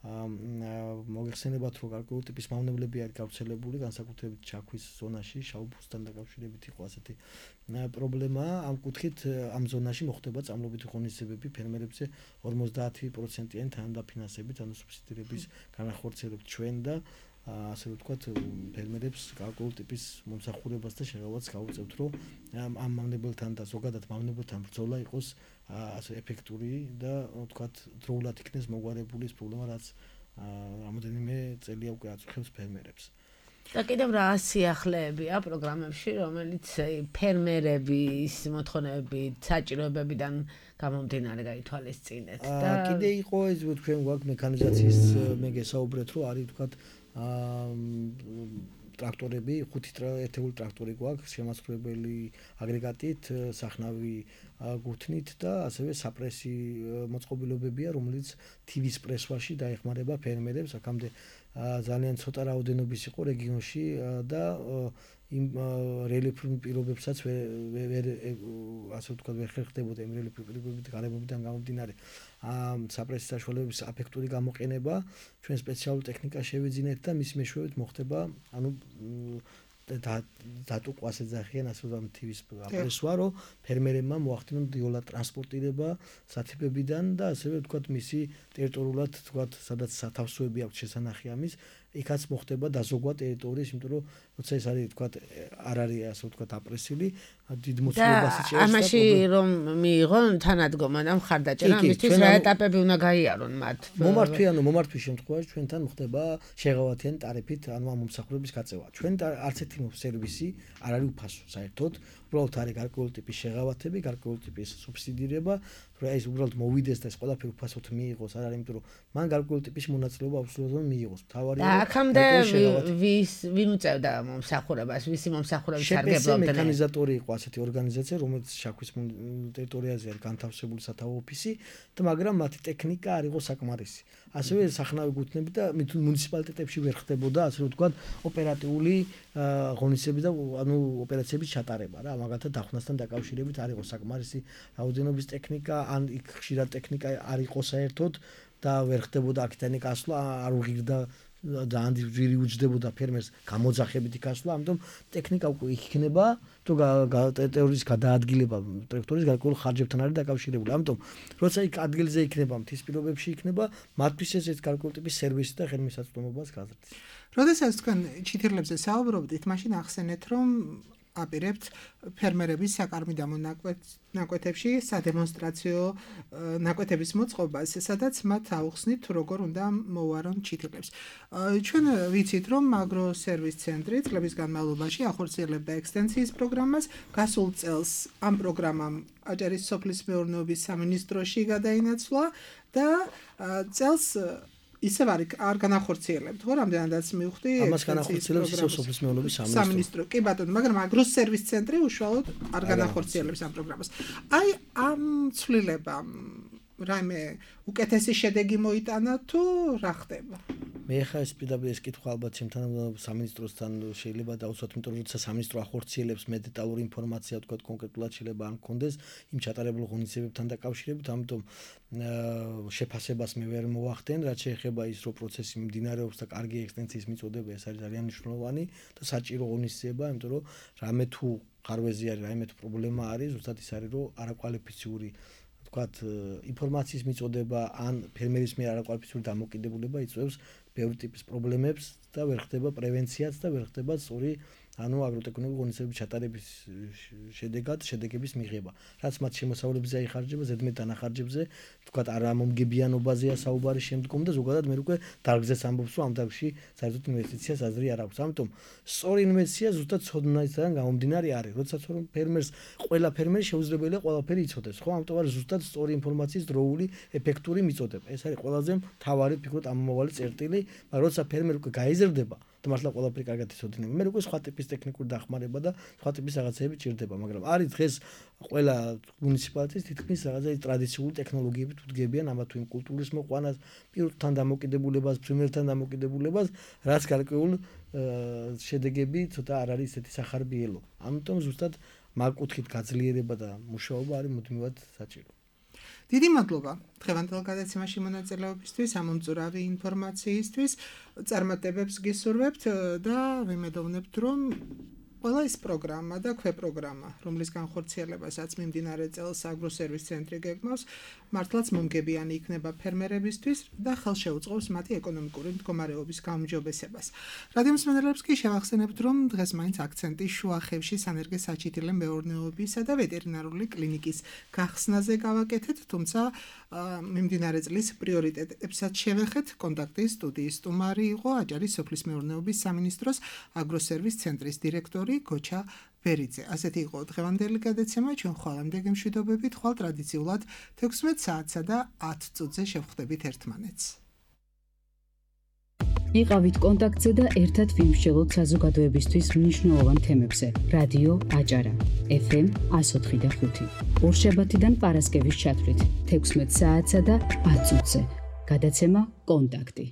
მოგეხსენებათ, რომ გარკვეული ტიპის მავნებლები არის გავრცელებული, განსაკუთრებით ჩაქვის ზონაში, შავბუსთან დაკავშირებით იყო ასეთი პრობლემა. ამ კუთხით ამ ზონაში მოხდება წამლობითი ღონისძიებები ფერმერებზე 50%-იანი თანადაფინანსებით, ანუ სუბსიდირების განახორციელებთ ჩვენ და ასე ვთქვათ, ფერმერებს გარკვეული ტიპის მომსახურებას და შეღავათს გავუწევთ, რომ ამ მავნებელთან და ზოგადად მავნებელთან ბრძოლა იყოს ასე ეფექტური და ვთქვათ, დროულად იქნეს მოგვარებული ეს პრობლემა, რაც რამოდენიმე წელია უკვე აწუხებს ფერმერებს. და კიდევ რა სიახლეებია პროგრამებში, რომელიც ფერმერების მოთხოვნებებით, საჭიროებებიდან გამომდინარე გაითვალისწინეთ და კიდე იყო ეს თქვენ გვაქვს მექანიზაციის მე გესაუბრეთ, რომ არის ვთქვათ ტრაქტორები, 5 ერთეული ტრაქტორი გვაქვს, შემაცხრებელი აგრეგატით, სახნავი გუთნით და ასევე საპრესი მოწყობილობებია, რომელიც თივის პრესვაში დაეხმარება ფერმერებს. აქამდე ძალიან ცოტა რაოდენობის იყო რეგიონში და იმ რელიეფურ პირობებსაც ასე ვთქვათ, ვერ ხერხდებოდა იმ რელიეფურ პირობებით გარემოებიდან გამომდინარე საპრესის საშუალებების აფექტური გამოყენება. ჩვენ სპეციალური ტექნიკა შევიძინეთ და მის მეშვეობით მოხდება, ანუ დატუყვა ასე ძახიან, ასე რომ თივის აპრესვა, რომ ფერმერებმა მოახდინონ დიოლად ტრანსპორტირება სათიბებიდან და ასევე ვთქვათ, მისი ტერიტორიულად ვთქვათ, სადაც სათავსოები აქვს შესანახი ამის, იქაც მოხდება დაზოგვა ტერიტორიის, იმიტომ რომ როცა ეს არის ვთქვათ, არ არის ასე ვთქვათ აპრესილი, დიდ მოცულობას იჭერს და ამაში რომ მიიღონ თანადგომა და მხარდაჭერა, ამისთვის რა ეტაპები უნდა გაიარონ მათ? მომართვის შემთხვევაში ჩვენთან მოხდება შეღავათიანი ტარიფით, ანუ ამ მომსახურების გაწევა. ჩვენ არც ერთი სერვისი არ არის უფასო საერთოდ, უბრალოდ არის გარკვეული ტიპის შეღავათები, გარკვეული ტიპის სუბსიდირება, რომ ეს უბრალოდ მოვიდეს და ეს ყველაფერი უფასოდ მიიღოს, არ არის, იმიტომ რომ მან გარკვეული ტიპის მონაწილეობა აბსოლუტურად მიიღოს. თავარია აქამდე ვინ უწევდა მომსახურებას, ვისი მომსახურების სარგებლობდნენ? მექანიზატორი იყო ასეთი ორგანიზაცია, რომელიც შაქვის ტერიტორიაზე არის განთავსებული სათავო ოფისი და მაგრამ მათი ტექნიკა არ იყო საკმარისი. ასევე სახნავი გუთნები და მუნიციპალიტეტებში ვერ ხდებოდა, ასე ვთქვათ, ოპერატიული ღონისძიებები და ანუ ოპერაციების ჩატარება რა, მაგალითად დახვნასთან დაკავშირებით არ იყო საკმარისი რაოდენობის ტექნიკა, ან იქ ხშირად ტექნიკა არ იყო საერთოდ და ვერ ხდებოდა აქედან გასვლა, არ უღირდა ძალიან ძვირი უჯდებოდა ფერმერს გამოძახებითი გასვლა, ამიტომ ტექნიკა უკვე იქნება, თუ ტერიტორიის გადაადგილება ტრაქტორის გარკვეულ ხარჯებთან არის დაკავშირებული. ამიტომ როცა იქ ადგილზე იქნება, მთის პირობებში იქნება, მათთვის ეს გარკვეული ტიპის სერვისი და ხელმისაწვდომობას გაზრდის. როდესაც თქვენ ჩითირლებზე საუბრობდით, მაშინ ახსენეთ, რომ აპირებთ ფერმერების საკარმიდამო ნაკვეთებში სადემონსტრაციო ნაკვეთების მოწყობას, სადაც მათ აუხსნით თუ როგორ უნდა მოვარონ ჩითილებს. ჩვენ ვიცით, რომ აგროსერვის ცენტრი წლების განმავლობაში ახორციელებდა ექსტენსიის პროგრამას, გასულ წელს ამ პროგრამამ აჭარის სოფლის მეურნეობის სამინისტროში გადაინაცვლა და წელს ისევ არ განახორციელებთ, ხო, რამდენადაც მივხვდი ამას განახორციელებს ისევ სოფლის მეურნეობის სამინისტრო. კი ბატონო, მაგრამ აგროსერვის ცენტრი უშუალოდ არ განახორციელებს ამ პროგრამას. აი ამ ცვლილებამ რაიმე უკეთესი შედეგი მოიტანა თუ რა ხდება? მე ხა ეს პირდაპირ ეს კითხვა ალბათ ჩემთან სამინისტროსთან შეიძლება დავუცოთ, იმიტომ რომ სამინისტრო ახორციელებს მე დეტალური ინფორმაცია თქვა კონკრეტულად შეიძლება არ მქონდეს იმ ჩატარებულ ღონისძიებებთან დაკავშირებით, ამიტომ შეფასებას მე ვერ მოვახდენ, რაც შეეხება ის რომ პროცესი მიმდინარეობს და კარგი ექსტენსიის მიწოდება, ეს არის ძალიან მნიშვნელოვანი და საჭირო ღონისძიება, იმიტომ რომ რამე თუ ხარვეზი არის, რაიმე თუ პრობლემა არის, ზუსტად ის არის რომ არაკვალიფიციური თქვათ ინფორმაციის მიწოდება ან ფერმერის მიერ არაკვალიფიციური დამოკიდებულება იწვევს ბევრი ტიპის პრობლემებს და ვერ ხდება პრევენციაც და ვერ ხდება სწორი აგროტექნიკური ღონისძიებების ჩატარების შედეგების მიღება. რაც მათ შემოსავლებზე აიხარჯება, ზედმეტ დანახარჯებზე, თქვათ არამომგებიანობაზეა საუბარი შემდგომ და ზოგადად მე უკვე დარგზეს ამბობს, რომ ამ დარგში საერთოდ ინვესტიციას აზრი არ აქვს. ამიტომ სწორი ინვესტიცია ზუსტად ცოდნისგან გამომდინარე არის. როდესაც რომ ფერმერს ყველა ფერმერი შეუძლებელია ყველაფერი იცოდეს, ხო? ამიტომ არის ზუსტად სწორი ინფორმაციის დროული ეფექტური მიწოდება. ეს არის ყველაზე მთავარი ფიქრობ ამომავალი წერტილი, მაგრამ როცა ფერმერი უკვე გაიზრდება და მართლა ყველაფერი კარგად იცოდინება. მე უკვე სხვა ტიპის ტექნიკური დახმარება და სხვა ტიპის რაღაცები ჭირდება, მაგრამ არის დღეს ყველა მუნიციპალიტეტის თითქმის რაღაცა ტრადიციული ტექნოლოგიებით უდგებიან ამა თუ იმ კულტურის მოყვანას, პირთან დამოკიდებულებას, ფრინველთან დამოკიდებულებას, რაც გარკვეულ შედეგები ცოტა არ არის ესეთი სახარბიელო. ამიტომ ზუსტად მაგკუთხით გაძლიერება და მუშაობა არის მუდმივად საჭირო. დიდი მადლობა დღევანდელ გადაცემაში მონაწილეობისთვის, ამომწურავი ინფორმაციისთვის, წარმატებებს გისურვებთ და ვიმედოვნებთ, რომ ყველა ეს პროგრამა და ქვეპროგრამა, რომლის განხორციელებასაც მიმდინარე წელს აგროსერვის ცენტრი გეგმავს, მართლაც მომგებიანი იქნება ფერმერებისთვის და ხელშეუწყობს მათი ეკონომიკური მდგომარეობის გაუმჯობესებას. რადიო მსმენელებს კი შევახსენებთ, რომ დღეს მაინც აქცენტი შუახევში სანერგე საჩითილე მეურნეობისა და ვეტერინარული კლინიკის გახსნაზე გავაკეთეთ, თუმცა მიმდინარე წლის პრიორიტეტებსაც შევეხეთ. კონტაქტის სტუდიის სტუმარი იყო აჭარის სოფლის მეურნეობის სამინისტროს აგროსერვის ცენტრის დირექტორი გოჩა ბერიძე. ასეთი იყო დღევანდელი გადაცემა, ჩვენ ხვალამდე გემშვიდობებით, ხვალ ტრადიციულად 16 საათსა და 10 წუთზე შევხვდებით ერთმანეთს. იყავით კონტაქტზე და ერთად ვიმსჯელოთ საზოგადოებისთვის მნიშვნელოვან თემებზე. რადიო აჭარა FM 104.5. ორშაბათიდან პარასკევის ჩათვლით 16 საათსა და 10 წუთზე. გადაცემა კონტაქტი.